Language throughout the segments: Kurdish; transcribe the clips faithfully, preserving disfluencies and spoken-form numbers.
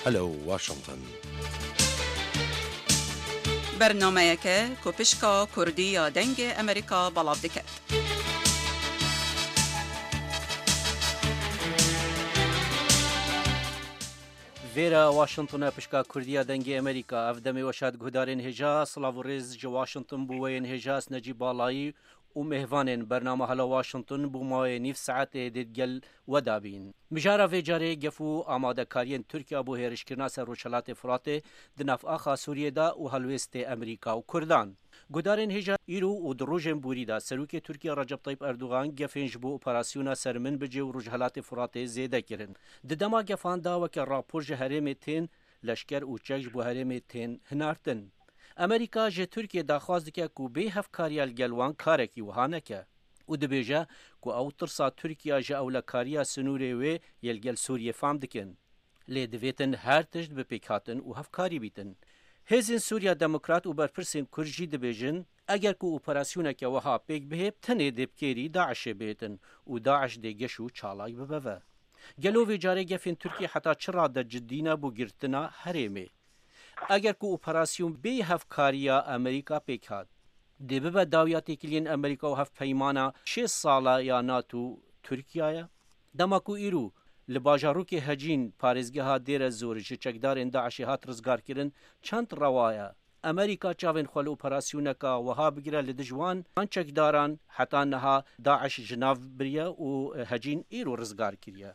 Alo Washington. Bernameyeke ku pişka Kurdî ya Dengê Amerîka belav diket. Vêre Washington e, pişka Kurdî ya Dengê Amerîka. Ev demê weş hat guhdarên hêja, silav û rêz ji Washington bo we yên hêja, ez Necîb Balayî û mêvanên bernama Hala Washington bo mawê nîv saetê dê digel we de bîn. Mijara vê carê gef û amadekariyên Tirkiya bo hêrişkirina ser Rojhelatê Firatê di nav axa Sûriyê de û helwêstê Amerîka û Kurdan. Guhdarên hêja, îro û di rojên borî de Serokê Tirkiye Recep Tayyip Erdogan gefên ji bo operasyona ser Minbicê û Rojhelatê Firatê zêde kirin. Di dema gefan de weke rapor ji herêmê tên leşker û çek ji bo herêmê tên hinartin. Amerîka ji Tirkiye daxwaz dike ku bê hevkariya li gel wan karekî wiha neke û dibêje ku ew tirsa Tirkiye ji ewlekariya sinûrê wê yê li gel Sûriyê fam dikin. Lê divêtin her tişt bi pêkhatin û hevkarî bîtin. Hêzên Sûriya Demokrat û berpirsên Kurd jî dibêjin, eger ku operasyoneke wiha pêk bihê, tenê dê bi kêrî DAIŞê bihêtin û DAIŞ dê geş û çalak bibe ve. Gelo vê carê gefên Tirkiyê heta çi rade cidî ne bo girtina herêmê? Eger ku operasyon bê hevkariya Amerîka pêk hat, dê bibe dawiya têkiliyên Amerîka û hevpeymana şêst sala ya NATO Tirkiye ye? Dema ku îro li bajarokê Hecîn parêzgeha Dêre Zor ji çekdarên DAIŞê hat rizgarkirin, çend rewa ye Amerîka çavên xwe li operasyoneka wiha bigire li dij wan? Van çekdaran heta niha DAIŞ ji nav biriye û Hecîn îro rizgar kiriye.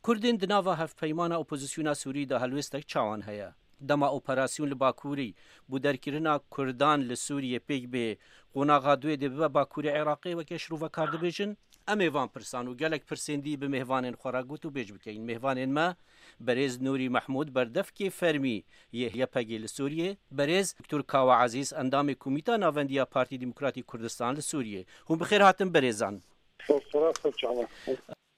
Kurdên di nava hevpeymana opozisyona Sûrî de helwêstek çawan heye? Dema operasyon li Bakurî bo derkirina Kurdan li Sûriyê pêk bê, qonaxa duê dê bibe Bakurê Iraqê weke şirovekar dibêjin? Em ê van pirsan û gelek pirsên dî bi mêvanên xwe re gotûbêj bikeyin. Mêvanên me, berêz Nûrî Mehmûd, berdevkê fermî yê Y P G li Sûriyê, berêz Doktor Kawa Ezîz, endamê Komîta Navendî ya Partî Demokratî Kurdistan li Sûriyê. Hûn bi xêr hatin berêzan. Spas, spas, çawa.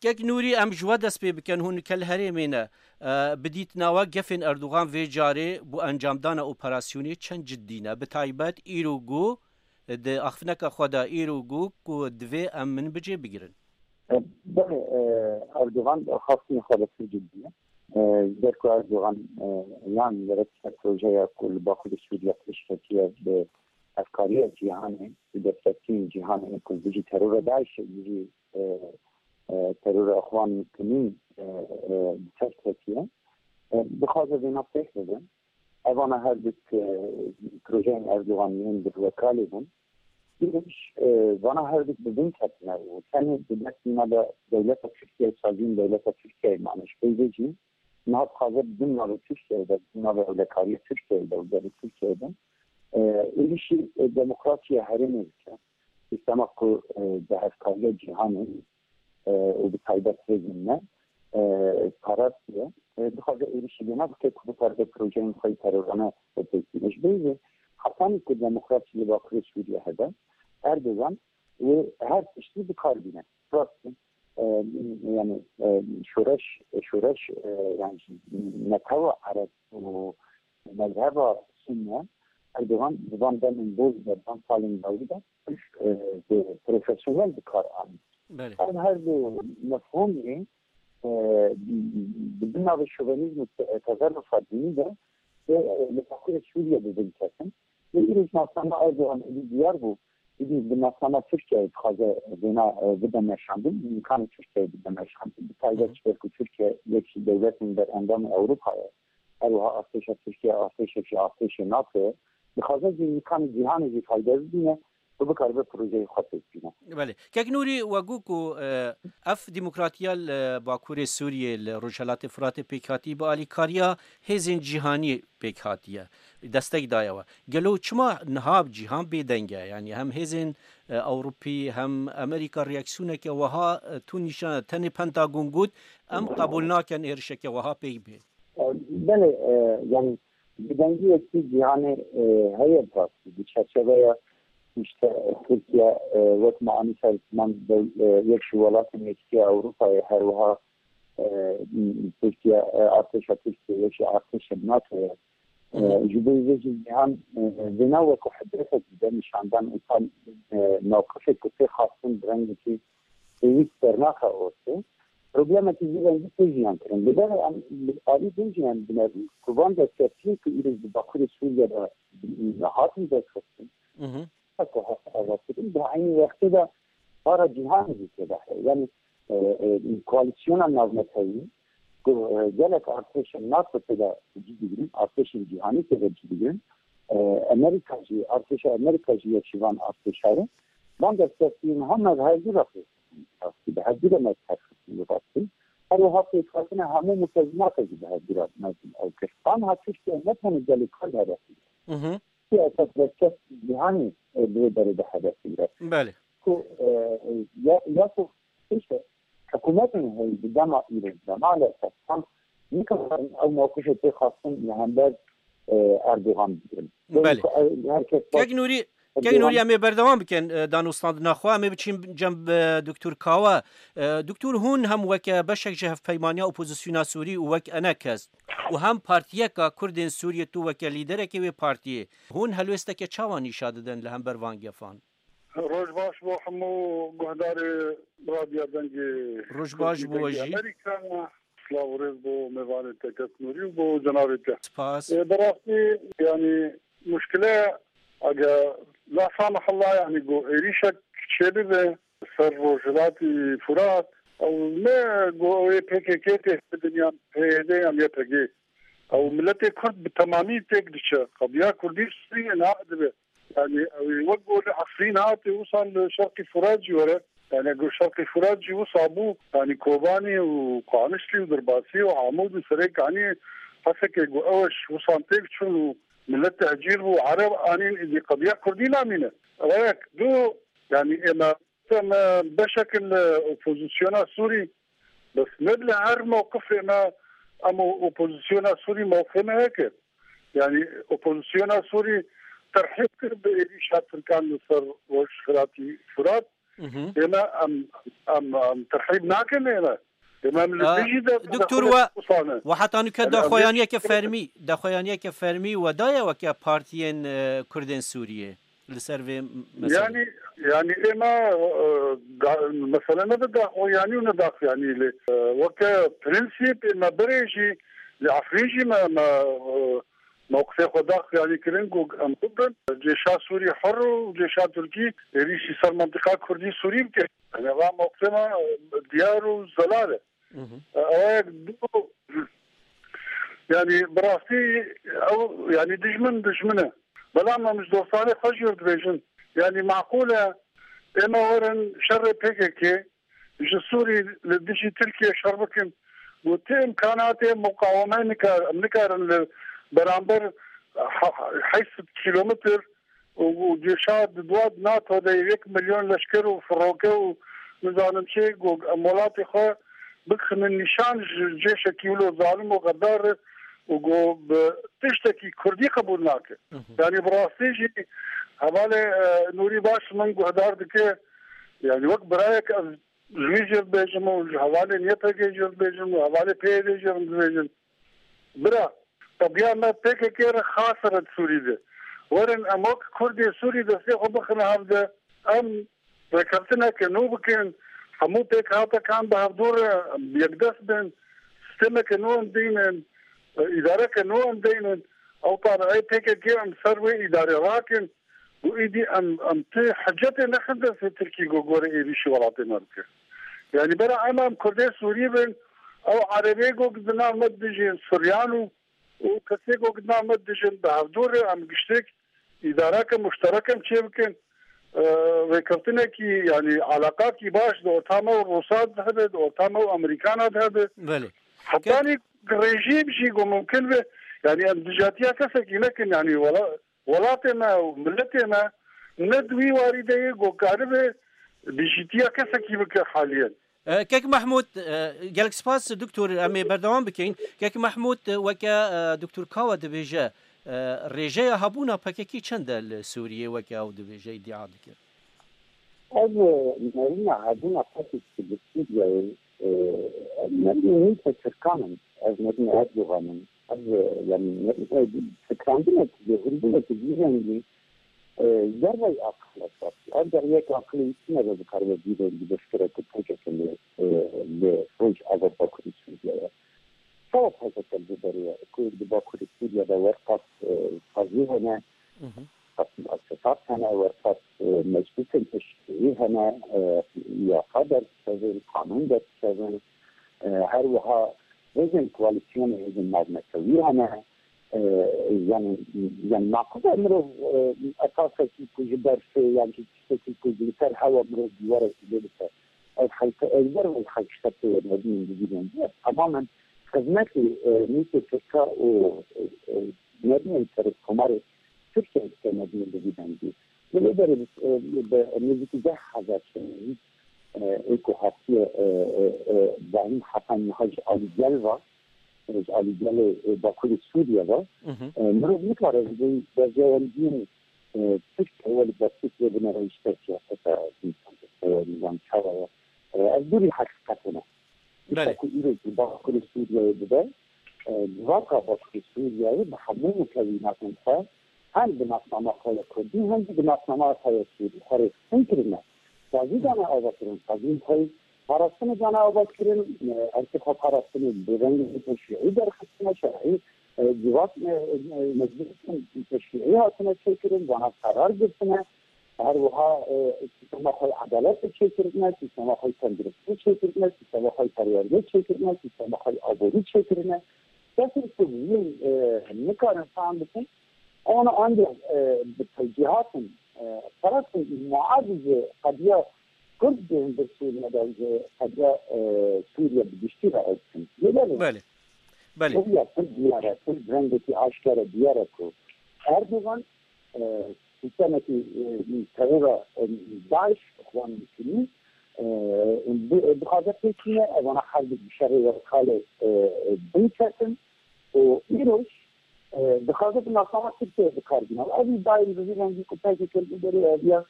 Kek Nûrî, em ji we dest pê bikin, hûn kel herêmê ne. E, bi dîtina we gefên Erdogan vê carê bo encamdana operasyonê çend cidî ne? Bi taybet îro got, di axiftineka xwe de îro got ku divê em Minbicê bigirin. E, belê, e, Erdogan xastinê xwe de pir cidî ye. E, ji ber ku Erdogan, e, yan gerek projeya ku li Bakurê Sûriye pêş ketiye bi hevkariya cîhanê, bi destekiyên cîhanê ku dijî terora DAIŞê, dijî, e, e, terora Ixwan Muslimîn, e, e, bi ser ketiye. E, dixwaze vêna pêk bibe. Evana her du, e, projeyên Erdogan yên dirwekalê bûn. Êrîş, e, vana her du bi bin ketine û tenê di destî me de dewleta Tirkiye û saziyên dewleta Tirkiye mane. Ji pey vê jî niha dixwaze bi bin navê Tirkiye de, bi bin navê ewlekariya Tirkiye de û gelê Tirkiye de, e, êrîşî, e, demokrasiya herêmê bike. Sîstema ku, e, bi hevkariya cîhanê e, û bi taybet hêzên me, e, parastiye. E, dixwaze êrişî lê nebike ku bikare projeyên xwe yê terorane pêk bîne. Ji bo vê hetanî ku demokrasî li Bakurê Sûriye hebe, Erdogan wê her tiştî bi kar bîne. Rast e. E, yani, e, şoreş, şoreş, e, yani netewa Ereb û mezheba Sunne, Erdogan di van demên boz de, van salên dawî de, e, bi profesyonel bi kar anî. Belê. Ev her du mefhûmê, e, di bin navê şovenîzm û te-, tezerrufa dînî de, e, li Bakurê Sûriye bi bin ketin. Lê îro ji nasnama Erdogan êdî diyar bû, êdî bi nasnama Tirkiyeyê dixwaze vêna, e, bide meşandin, îmkanê Tirkiyeyê bide meşandin. Bi taybet ji ber ku Tirkiye yek ji dewletên berendamê Ewropa ye. Her wiha artêşa Tirkiye artêşek ji artêşê NATO ye. Dixwaze jî îmkanê cîhanê jî fayde bibîne û bikaribe projeyê xwe pêk bîne. Belê. Kek Nûrî, we got ku, e, ev demokratiya li Bakurê Sûriyê, li Rojhelatê Firatê pêk hatî, bi alîkariya hêzên cîhanî pêk hatiye, destek daye we. Gelo çima niha cîhan bêdeng e? Yanî hem hêzên, e, Ewropî hem Amerîka reaksiyoneke wiha, e, tund nîşan, tenê Pentagon got, em qebûl nakin êrişeke wiha pêk bê. Belê, e, yani bêdengiyekî cîhanê, e, heye bi rastî. Di çerçeveya işte Tirkiye, e, wek me anî ser ziman dew-, e, yek ji welatên Yekîtiya Ewropayê, her wiha, e, Tirkiye, e, artêşa Tirkiye yek ji artêşên NATO ye. E, ji bo vê jî cîhan, e, vêna wekî hidretek dide nîşandan û tam, e, mewqifê ku tê xwestin bi rengekî pêwîst dernaxe ortê. problemekî vî rengî tê jiyan kirin. Li ber em bi alî din jî em binêrin ku van destkeftiyên ku îro di Bakurê Sûriye de hatin derxistin, Mhm. ku hat avakirin, di eynî wextê de para cîhanê jî tê de heye. Yani, e, e, koalîsyona navnetewî ku, e, gelek artêşa NATO tê de cî digirin, artêşên cîhanî tê de cî digirin. E, Amerîka jî, artêşa Amerîka jî yek ji van artêşa ye. Van destkeftiyên heme bi hevdû re rastî, bi hevdû re me terxistin, bi rastî. Her wiha pêkhatina hemû mutezînata jî bi hevdû re mezin ew kir. Anha Tirkiye ne tenê gelê Kurd hedef dike. Mhm. Tirkiye esas destkeftî cîhanî, e, bi wê berê de hedef digire. Belê. Ku, e, ya, ya ku işte hikûmetên heyî di dema îro de maalesef tam nikarin ew mewqifê pê xwestin li hember, e, Erdogan bigirin. Belê. Ku, e, her kes Kek Nûrî, Kek Nûrî, em ê berdewam bikin, e, danûstandina xwe. Em ê biçin cem, e, Doktor Kawa. E, Doktor, hûn hem weke beşek ji hevpeymaniya opozisyona Sûrî û wek enekes û hem partiyeka Kurdên Sûriyê, tu weke lîderekê wê partiyê, hûn helwêsteke çawa nîşa didin li hember van gefan? Roj baş bo hemû guhdarê Radya Dengê Roj baş Kurdî, bo we Dengê jî. Amerîka. Silav û rêz bo mêvanê te, Kek Nûrî, û bo cenabê te. Spas. E, bi rastî, yani, muşkile, ege la samahillah, yani, ku êrîşek çêbibe ser Rojhilatî Furat, ew ne ku ew ê P K K tê bidin yan P Y D yan Y P G. Ew miletê Kurd bi temamî têk diçe. Qediya Kurdî Sûriyê niha dibe. Yani, ew ê wek ku li Efrîn hatê, wisa li Şerqî Furat jî were. Yani, ku Şerqî Furat jî wisa bû, yani, Kobanî û Qamişlî û Dirbasî û Amûd û Serêkaniyê, Hesekê ku ew ji wisa têk çûn û milet tehcîr bû, Ereb anîn, îdî qediya Kurdî namîne. Ew yek, du, yani, ême, me beşek li opozisyona Sûrî, bes ne li her mewqifê me, em û opozisyona Sûrî mewqifê me yek e. Yani, opozisyona Sûrî terhîb kir bi êrîşa Tirkan li ser Rojhilatî Furat. Mhm. Ême em, em, em terhîb nakin ême. Ême em li Aa, dijî de Doktor, we, we heta nûke daxuyaniyeke fermî, daxuyaniyeke fermî we daye weke partiyên, e, Kurdên Sûriyê li ser vê meselê? Yani, yani ême, e, da, mesele ne de daxuyanî û ne daxuyanî lê, e, weke prensîp ême berê jî li Efrîn jî me, me, e, mewqifê xwe dax, yani, kirin ku em bibin cêşa Sûrî hur û cêşa Tirkî êrîşî ser mentiqa Kurdî Sûrî bike. Yani, va mewqifê me diyar û zelal e. Mhm. Ew yek du, yani, bi rastî ew, yani, dijmin, dijmin e. Belam em ji dostanê xwe jî dibêjin. Yani, maqûl e, ême werin şerê P K K, ji Sûrî li dijî Tirkiye şer bikin. Got, ti îmkanatê muqaweme nikar-, em nikarin li beramber he-, heyşt sed kîlometr û, û cêşa di dua di NATO de yek milyon leşker û firoke û nizanim çi, got, em welatê xwe bixinin nîşan ji cêşekî wilo zalim û xedar û got, bi tiştekî Kurdî qebûl nake. Hı hı. Yani bi rastî jî hevalê, e, Nûrî baş min guhdar dike. Yani wek birayek ez ji wî jî dibêjim û ji hevalên Y P G jî dibêjim û hevalê P Y D jî dibêjim. Bira, qediya me P K K re xas e di Sûrî de. Werin em wek Kurdê Sûrî destê xwe bixine hev de. Em rêkeftineke nû bikin, hemû pêkhatekan bi hevdû re em yekdest bin, sîstemeke nû em deynin, îdareke nû em deynin. Ew pareyê P K K em ser wê îdarê rakin. Û êdî em, em ti hicetê nexin destê Tirkî ku gore êrîşî welatê me bike. Yanî bera em, em Kurdê Sûrî bin, ew Erebê ku di nav me dijîn, Suryan û, û kesê ku di nav me dijîn, bi hevdû re em giştek îdareke muşterek em çê bikin. E, rêkeftinekî, yanî alaqakî baş di orta me û Rûsa de hebe, di orta me û Amerîkana de hebe. Belê. Hetanî rejîm jî ku mumkin be, yanî em dijatiya kesekî nekin, yanî wela-, welatê me û miletê me ne di wî warî de ye ku karibe dijîtiya kesekî bike haliyen. E, Kek Mehmûd, e, gelek spas, Doktor, em ê berdewam bikin. Kek Mehmûd, e, weke, e, Doktor Kawa dibêje, e, rêjeya hebûna P K K çend e li Sûriyê, weke ew dibêje, îdia dike? Ev, e, nerîna hebûna P K K li Sûriyeyê, e, nerîna nî Tirkan in, ev nerîna Erdogan in, ev, e, yanî nerîna fikirandinek, lêhûnbûnek vî rengî, e, dervey aqil esas. Ev derveyek aqilî tune de dikaribe vî rengî beşkere ku P K K li, e, li Rojava Bakurê Sûriyeyê. Çawa P K K li vê derê ye? Ku di Bakurê Sûriye de werqas, e, sazî hene, qas muesesat hene, werqas, e, meclisên teşkîlî hene, e, yasa derdikevin, qanûn derdikevin, e, her wiha hêzên koalîsyonê, hêzên navnetewî hene. E, yani, yani naqide mirov, e, esasekî ku ji berfê yan jî tiştekî ku ji li ser hewa mirov dîwarekî lê bike, ev xelke, ev ber wê xelk şertê ye, nebînin di vî dengî ye. Tamamen xizmetê, e, mîtê Tirka û, e, e, nebînin serokkomarê Tirkiye dike, nebînin di vî dengî. Li vê derê, e, bi nêzîkî deh hezar şehîd, e, ê ku hatiye, e, e, e, Zahîm Hesen niha ji alî gel ve, e, ji alî gelê, e, Bakurê Sûriye ve, e, mirov nikare ji bo berjewendiyên, e, Tirkiye welî destpêk wê binêre ji ser siyaseta însan, e, nizam çawa ye. E, ev dûrî heqîqetê ne. Belê. Tişta ku îro ji Bakurê Sûriyeyê dibe, e, civaka Bakurê Sûriyeyê bi hemû mukewînatên xwe, hem bi nasnama xwe ya Kurdî, hem jî bi nasnama xwe ya Sûrî xwe rêxistin kirine. Sazî dane avakirin, sazî xwe parastinê dane avakirin, e, erkê xwe parastinê bi rengê teşrîî derxistine, şerî, e, civak, e, e, meclisên teşrîî hatine çêkirin, vana qerar girtine. Her wiha, e, sîstema xwe yê edaletê çêkirine, sîstema xwe yê tenduristiyê çêkirine, sîstema xwe yê perwerdeyê çêkirine, sîstema xwe yê aborî çêkirine. Kesên ku vî, e, nikarin fehm bikin, wana ancak, e, bi tewcîhatin, e, parastin muadî ji qediya Kurd bên bir Sûriye de ji qediya, e, Sûriye bi giştî re ew dikin. Lê belê, Belê. Belê. Qediya Kurd diyar e, Kurd rengekî aşkere diyar e ku Erdogan, e, sîstemekî, e, terora, e, DAIŞ, Îxwan Muslîmîn, e, bi-, dixwaze pêk bîne, evana her du şerê werkalê, e, e, binketin û îroj, e, dixwaze bi nasnama Tirkiyeyê bi kar bîne. Ev îdayên bi vî rengî ku P K K li derê eviya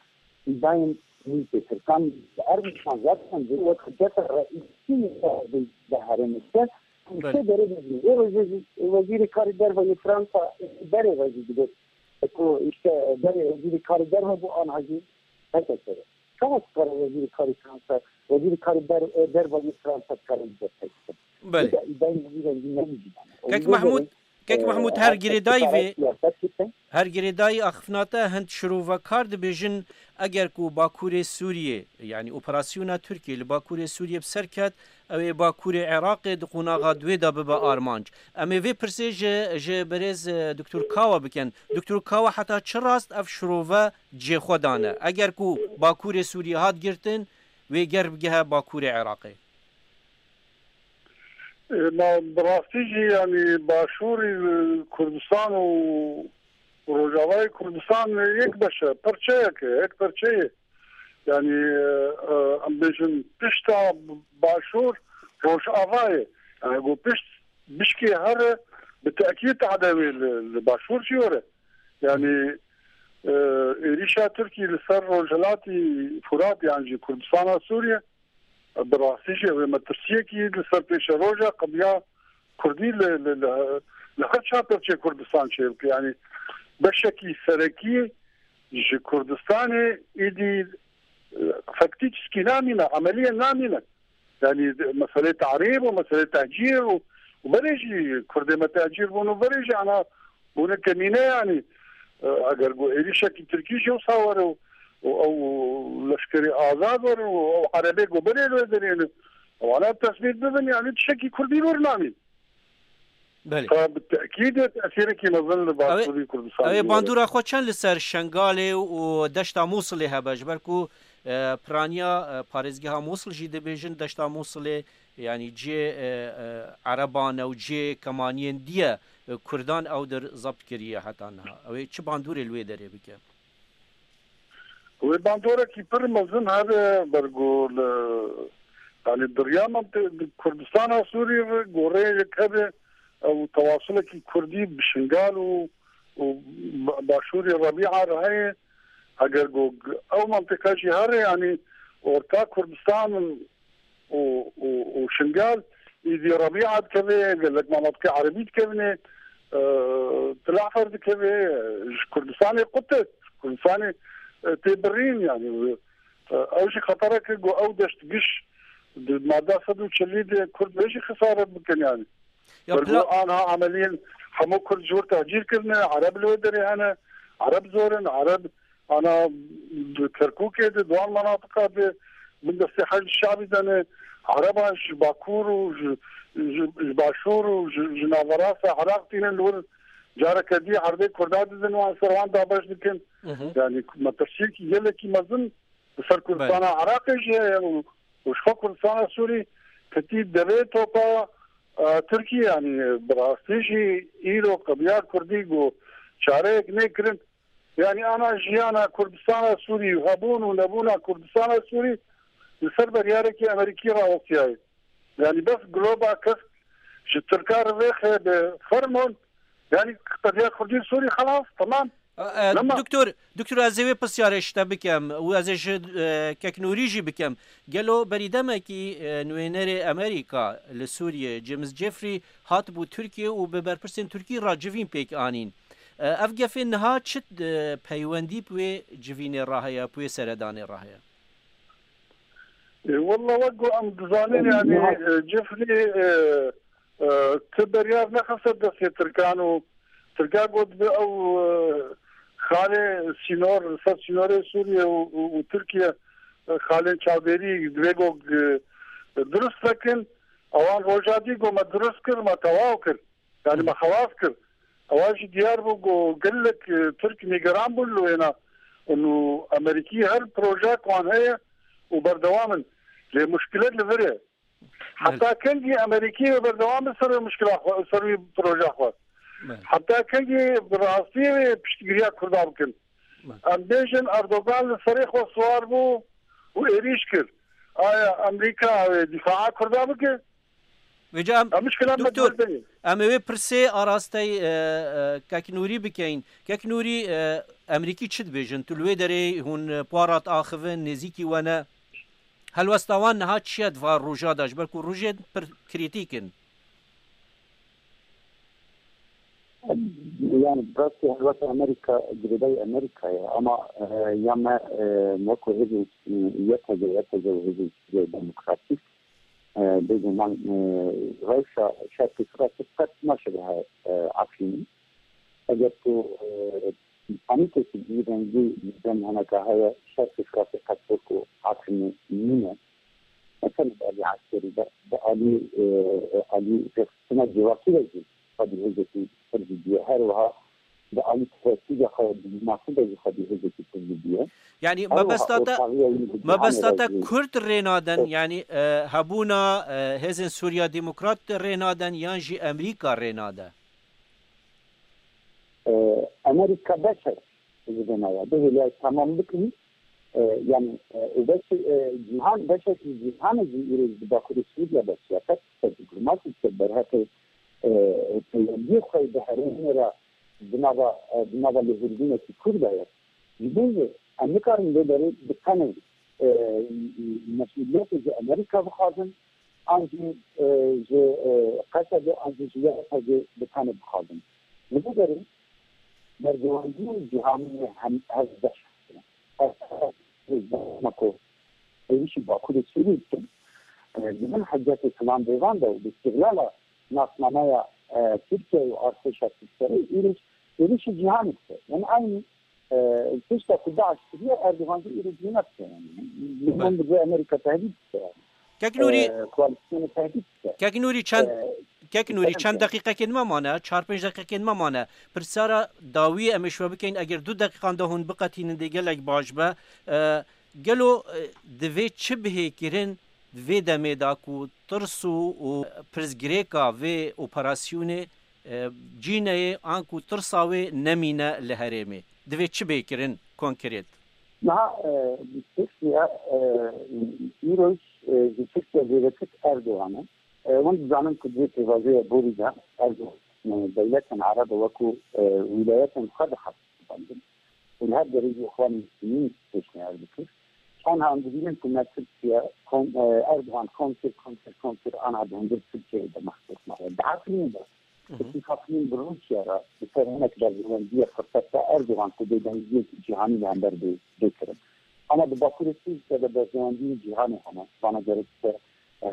îdayên mîtê Tirkan, Ermenistan zaten bi wek hiceta reîsî de herêmê de Belê. Û derê vejî. Ê rojê jî wezîrê karê derve yê Fransa berê vejî digot. Ku işte berê wezîrê karê derve bû, anha jî P K K. Çawa dikare wezîrê karê Fransa, wezîrê karê der-, derve yê Fransa dikare li ber P K K? Belê. Îda-, îdayên wezîrên jî ne wî jî ne. Kek Wezîrê Mehmûd, derê, Kek e, Mehmûd, her her girêdayî vê, siyaset dike. Her girêdayî axifnate hin şirovekar dibêjin, eger ku Bakurê Sûriyê, yanî operasyona Tirkiyê li Bakurê Sûriyê bi ser ket, ew ê Bakurê Iraqê di qonaxa duê de bibe armanc. Em ê vê pirsê ji, ji birêz, e, Doktor Kawa bikin. Doktor Kawa, heta çi rast ev şirove cihê xwe dane? Eger ku Bakurê Sûriyê hat girtin, wê ger bigihe Bakurê Iraqê? E, ma bi rastî jî, yanî Başûrî, e, Kurdistan û Rojavayê Kurdistan yek beş e, parçeyek e, yek parçeyê. Yanî, e, e, em bêjin pişta Başûr Rojava ye. Yanî ku pişt bişkê here bi tekîd tade wê li, li Başûr jî were. Yanî, e, êrîşa Tirkî li ser Rojhilatî Furat yan jî Kurdistana Sûriye, bi rastî jî ew ê metirsiyekî li ser pêşeroja qediya Kurdî li, li, li, li her çar perçê Kurdistan çêbike. Yanî beşekî serekî ji Kurdistanê êdî, e, fektî çiskî namîne, emeliyê namîne. Yanî meselê tarîb û meselê tehcîr û, û berê jî Kurdê me tehcîr bûn û berê jî ana bûne kemîne yanî. E, eger ku êrîşekî Tirkî jî wisa were û, û ew leşkerê azad were û ew erebê ku berê li wê derê ne, wana tesbît bibin, yanî tiştekî Kurdî wernamî. Belê. Ka bi tekîdê tesîrekî mezin li Ew ê, Başûrî Kurdistanê ew ê were. Bandora xwe çend li ser Şengalê û deşta Mûsilê hebe? Ji ber ku, e, piraniya, e, parêzgeha Mûsil jî dibêjin deşta Mûsilê, yanî cihê, e, e, Ereban e û cihê kemaniyên dî ye, e, Kurdan ew dir zebt kiriye heta niha. Ew ê çi bandorê li wê derê bike? Wê bandorekî pir mezin hebe, ber ku li, yanî diriya menti-, Kurdistana Sûrî re goreyek hebe, ew tewasulekî Kurdî bi Şingal û, û ba-, Başûrê Rebîa re heye. Eger ku ew mentiqa jî here, yanî orta Kurdistan û, û, û Şingal, îdî Rebîa dikeve, gelek mamatikê erebî dikevine, e, Tilahfer dikeve, ji Kurdistanê qut e, Kurdistanê, e, tê birîn, yanî, e, ew jî xetereke ku ew deşt giş, Di madda sed û çelî de Kurd vê jî xesaret bikin yani. Ya Ber plan ku anha emeliyên hemû Kurd ji wir tehcîr kirine, Ereb li wê derê hene, Ereb zor in, Ereb ana di Kerkûkê de, di wan menatiqa de bin destê Heşd Şabî de ne, Ereba ji Bakur û ji, ji, ji Başûr û ji, ji naverasta Iraq tînin li wir careke dî herbê Kurda didin wan ser wan dabeş dikin. Hı hı. Yani metirsiyekî gelekî mezin li ser Kurdistana Iraqê jî heye û, û ji xwe Kurdistana Sûrî ketî devê topa, e, Tirkî, yani bi rastî jî îro qebiya Kurdî ku çareyek nêkirin. Yani ana jiyana Kurdistana Sûrî û hebûn û nebûna Kurdistana Sûrî li ser beryarekî Amerîkî rawestiyaye. Yani bes globa kesk ji Tirka re vêxe bi fermon, yani qediya Kurdî Sûrî xelas, temam. E, e, Lema. Doktor, doktor, ez ê wê pisyarê ji te bikim û ez ê ji, e, Kek Nûrî jî bikim. Gelo berî demekî, e, nûênerê Amerîka li Sûriyê, James Jeffrey, hatibû Tirkiye û bi berpirsên Tirkî re civîn pêk anîn. E, ev gefê niha çi, e, peywendî bi wê civînê re heye, bi wê seredanê re heye? E, walla wek ku em dizanin, yani, e, Jeffrey, e, e, ti beryar nexiste destê Tirkan û Tirka got bi ew, e, xalê sînor, ser sînorê Sûriye û, û, û Tirkiye, e, xalên çavdêrî divê got, e, durust vekin. Ewan roja dî got me durust kir, me tewaw kir. Yani me xelas kir. Ewa jî diyar bû ku gelek, e, Tirk nîgeran bûn li wêna. Û Amerîkî her proje ku wan heye û berdewam in. Lê muşkilet li vir e. Heta kengî Amerîkî wê berdewam bi ser wê muşkila xwe, ser wî proje xwe? Heta kengî bi rastî wê piştgiriya Kurda bikin? Em bêjin Erdogan li serê xwe siwar bû û êrîş kir. Aya Amerîka wê dîfaa Kurda bike? Vêca em, Em muşkila me doktor, dibir em ê wê pirsê arastey, e, e, Kek Nûrî bikeyin. Kek Nûrî, e, Emerîkî çi dibêjin? Tu li wê derê hûn, e, para diaxivin, nêzîkî we ne. Helwesta wan niha çi ye di van roja de? Ji ber ku rojên pir krîtîk in. Yani, bi rastî helweta Amerîka girêdayî Amerîka ye. Ama, e, ya me, e, wekû hêzên, e, Y P G, Y P G û hêzên Sûriya Demokratîk, e, bêguman, e, rewşa şerkê Firatê qet naşibe, e, Efrînê. Eger tu, e, Anî kesî bi vî rengî dem heneka heye, şerkê Firatê qet wek ku Efrînê nîne. Ne tenê bi alî eskerî de, bi alî, e, alî rêxistina civakî de jî xwedî hêzekî pir zîdî ye. Her wiha bi alî tehdîda xwe, dîplomasî de jî xwedî hêzekî pir zîdî ye. Yani Her wiha mebesta te, ortaxiya wî bi cîhanê mebesta re te jî Kurd rê nadin, Evet. yani, e, hebûna, e, hêzên Sûriya Demokrat rê nadin yan jî Amerîka rê nade? E, Amerîka beşek ji vê naya. Bihêliyay temam bikin. E, yani, e, û beş, e, cîhan, beşek ji cîhanê jî îro ji Bakurê Sûriya beşiya. Qet ser dîplomasî ser berhekê, e, peywendiyê xwe bi herêmê re di nava, e, di nava lêhûrdînekî Kurd de ye. Ji bo vê em nikarin vê derê bi tenê, e, mesûliyetê ji Amerîka bixwazin, an jî, e, ji, e, Qesedê, an jî ji Y P G bi tenê bixwazin. Li vê derê berjewendiyên cîhanî yê hem hev beş hene. Ev, ev, ev, ku êrîşî Bakurê Sûriyê dikin, e, di bin hicetê Plan Bêvan de û bi îstihlala nasnameya, e, Tirkiye û artêşa Tirkiyeyê êrîş, êrîşî cîhanê dike. Yani aynî, e, tişta ku DAIŞ kiriye, Erdogan jî êrîş wî nedike yani. Li Belê. Min bi vê Amerîka tehdît dike yani. Kek Nûrî, E, koalîsyonê tehdît dike. Kek Nûrî çend, E, Kek Nûrî çend deqîqekên me mane, çar pênc deqîqekên me mane. Pirsara dawiyê em ê ji we bikeyin, eger du deqîqan de hûn biqetînin dê gelek baş be. E, gelo, e, divê çi bihê kirin di vê demê de ku tirs û, û pirsgirêka vê operasyonê, e, cî neyê an ku tirsa wê nemîne li herêmê? Divê çi bê kirin konkret? Niha, e, Tirkiye, e, îroj, e, ji Tirkiye zêdetir Erdogan e. E, hûn dizanin ku di vê pêvajoya borî de Erdogan, e, dewletên Ereb wekû, e, wîlayetên xwe dihesibandin. Û li her derê jî Îxwanê Muslimîn pêşniyar dikir. Anha em dibînin ku me Tirkiye, kom, e, Erdogan kom kir, kom kir, kom kir, anha di hundir Tirkiyeyê de mexsûs maye. Di Efrînê de, Hı hı. Tirkî Efrîn bi Rûsya re li ser hinek berjewendiyê firset da Erdogan ku bêdengiyek cîhanî li hember bê, bê kirin. Ama di Bakurê Tirkiye de berjewendiyên cîhanê hene. Vana gerek ser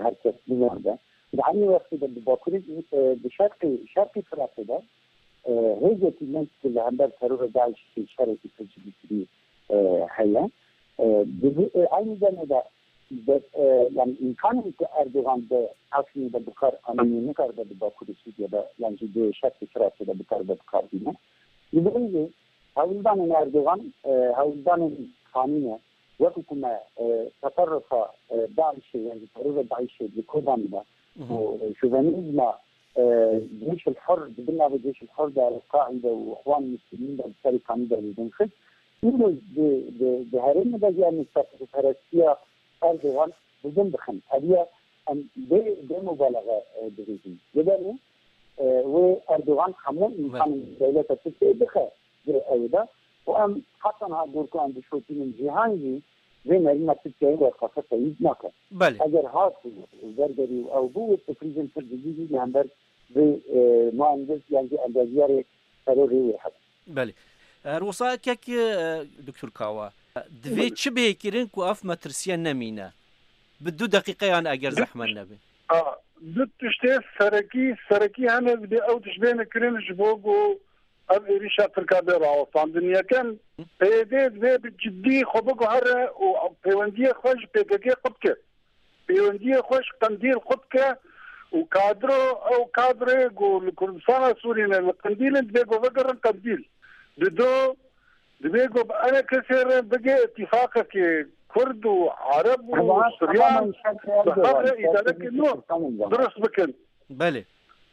Her kes nizam de. Di aynî wextê de bi Bakurê, e, bi şerqê, şerqê Firatê de, e, hêzekî mezin li hember terora DAIŞ'ê şerekî pir cidî kirî, e, heye. E, di vî, e, aynî demê de, de, e, yani îmkanên ku Erdogan di Efrînê de bi kar anînê nikaribe di Bakurê Sûriyê de, yan jî di şerqê Firatê de bikaribe bi kar bîne. Li vê rêyê hewldanên Erdogan, e, hewldanên xanî ne. Wekî ku me, e, teferrufa, e, DAIŞ'ê, yan jî terora DAIŞ'ê li Kurdan de, Mhm. û, e, şovenîzma, e, Ceyşul Hur, di bin navê Ceyşul Hur de, El-Qaîde û Îxwan Muslimîn de, bi serê kanî de li bin xist. Îro di, di, di herêmê de jî em ê çapeperestiya Erdogan bi bin dixin. Ev ya em bê, bê mubalaxe, e, dibêjin. Li ber wê, e, wê Erdogan hemû Belê. îmkanên dewleta Tirkiyeyê bixe di ew de. Û em heta niha gor ku em dişopînin cîhan jî vê nerîna Tirkiyeyê werxafe teyîd nake. Belê. Eger hat û wergerî û ew bû, wê sürprîzên pir cidî jî li hember vê, e, muhendis yan jî endaziyarê terorê wê hebin. Belê. Her wisa kek, e, Doktor Kawa, divê Belê. çi bê kirin ku ev metirsiye nemîne? Bi du deqîqeyan eger zehmet nebe. A, du tiştê serekî, serekî hene divê ew tişt bêne kirin ji bo ku ev êrîşa Tirka bê rawestandin. Yekem, P Y D divê bi cidî xwe biguhere û pêwendiyê xwe ji P K K qut ke. Pêwendiyê xwe ji Qendîl qut ke û kadro, ew kadrê ku li Kurdistana Sûrî ne, li Qendîl in, divê ku vegerin Qendîl. Dido, divê ku bi enekesê re bige îtîfaqekê Kurd û Ereb û Suryan bi hev re îdareke nû dirust bikin. Belê.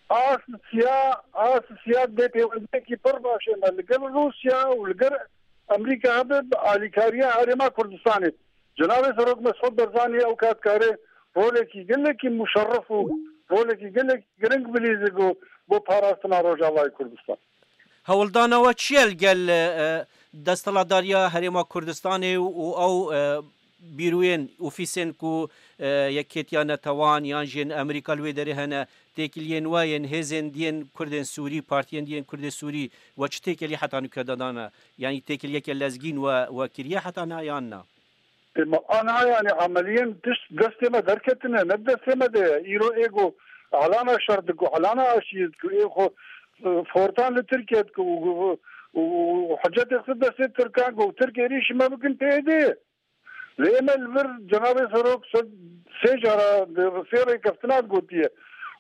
Asisiya, Asisiya dê pêwendiyekî pir baş ême li gel Rûsya û li gel Amerîka hebe bi alîkariya Herêma Kurdistanê. Cenabê Serok Mesûd Barzanî ew kat kare rolekî gelekî muşerref û rolekî gelekî giring bilîze ku bo parastina Rojavayê Kurdistan. Hewldana we çi ye li gel, e, desthilatdariya Herêma Kurdistanê û, û ew, e, bîroyên, ofîsên ku, e, Yekêtiya Netewan yan jî yên Amerîka li wê derê hene, têkiliyên we yên hêzên diyên Kurdên Sûrî, partiyên diyên Kurdê Sûrî we çi têkilî heta nûke dadane? Yanî têkiliyeke lezgîn we, we kiriye heta niha yan na? Ê, ma ana, yani, emeliyen tişt destê me derketine, ne destê me de ye. Îro ê ku elana şer diku, elana aşiyê diku, ê xwe, e, fortan li Tirkiye diku û, û, û hicetê xwe destê Tirkan ku Tirk êrîşî me bikin P Y D ye. Lê me li vir Cenabê Serok sed, sê cara, sê rêkeftina gotiye.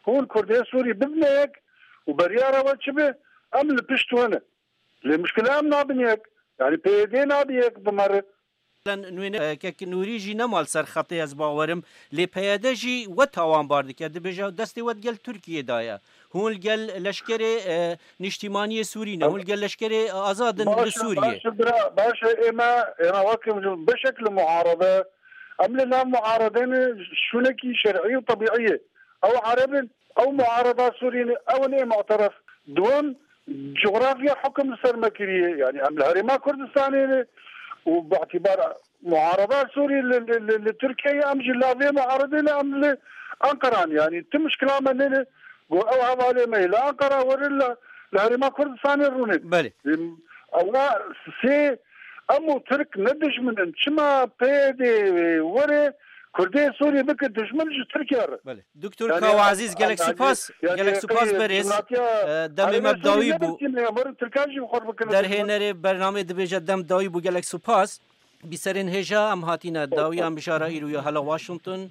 Hûn Kurdê Sûrî bibine yek û beriyara we çi be, em li pişt we ne. Lê muşkila em nabin yek. Yani P Y D nabin yek bi me re. Nû-, e, kek Nûrî jî nema li ser xetê, ez bawerim. Lê P Y D jî we tawanbar dike. Dibêje destê we di gel Tirkiyê de ye. Hûn li gel leşkerê, e, niştîmaniyê Sûrî ne. Hûn li gel leşkerê azad in li Sûriyê. Baş e, bira, baş e, ê me, êna wekim ji beşek li muarede. Em li nav muaredê ne, şûnekî şer'î û tebîî ye. Ew Ereb in, ew muareda Sûrî ne, ew in ê mu'teref. Duwem, cografya hukum li ser me kiriye. Yani em li Herêma Kurdistanê ne û bi îtibar muareda Sûrî li, li, li, li Tirkiyeyê, em jî lavê muaredê ne, em li Anqara ne. Yani tu mişkila me nene. Go ew hevalê me yê li Anqara werin li, li Herêma Kurdistanê rûnin. Belê. Em, Allah sê, em û Tirk ne dijmin in. Çima P Y D were Kurdê Sûrî bike dijmin ji Tirkiye re? Belê. Doktor Yani, Kawa Ezîz, gelek yani, supas, yani, gelek supas qey berêz. Cumhuriyetiya E, demê me Arabê bi dawî Sûrî bû. Nebikin, ya, werin Tirkan jî xwe bikin. Derhênerê bernamê dibêje dem dawî bû, gelek supas. Bîserên hêja, em hatîne dawiya mijara îro ya hela Washington.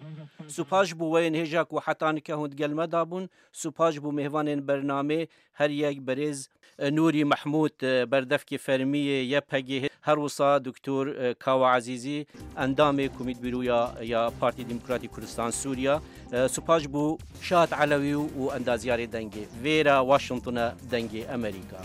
Supas ji bo weyên hêja ku heta nike hûn di gel me de bûn. Supas ji bo mêvanên bernamê, her yek berêz, e, Nûrî Mehmûd, e, berdevkê fermî yê Y P G, her wisa Doktor, e, Kawa Ezîzî, endamê Komît Bîroya ya Partî Demokratîk Kurdistan Sûriya. E, supas ji bo Şahat Elewî û endaziyarê dengê. Vêra Washington e dengê Amerîka.